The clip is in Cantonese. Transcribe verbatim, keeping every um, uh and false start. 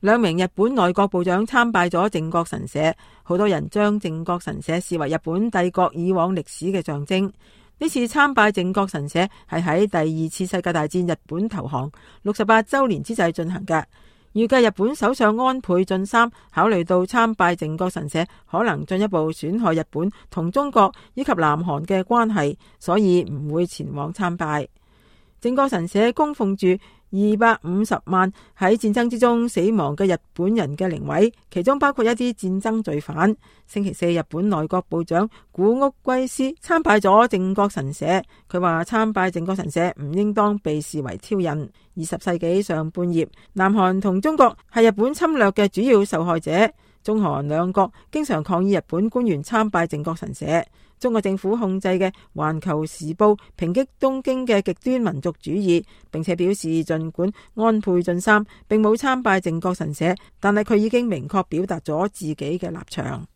兩名日本內閣部長參拜咗靖國神社，好多人將靖國神社視為日本帝國以往歷史嘅象徵。呢次參拜靖國神社係喺第二次世界大戰日本投降六十八週年之際進行嘅。預計日本首相安倍晉三考慮到參拜靖國神社可能進一步損害日本同中國以及南韓嘅關係，所以唔會前往參拜。靖國神社供奉住二百五十萬喺戰爭之中死亡嘅日本人嘅靈位，其中包括一啲戰爭罪犯。星期四，日本內閣部長古屋圭司參拜咗靖國神社，佢話參拜靖國神社唔應當被視為挑釁。二十世紀上半葉，南韓同中國係日本侵略嘅主要受害者，中韓兩國經常抗議日本官員參拜靖國神社。中國政府控制嘅《環球時報》抨擊東京嘅極端民族主義，並且表示儘管安倍晉三並冇參拜靖國神社，但係佢已經明確表達咗自己嘅立場。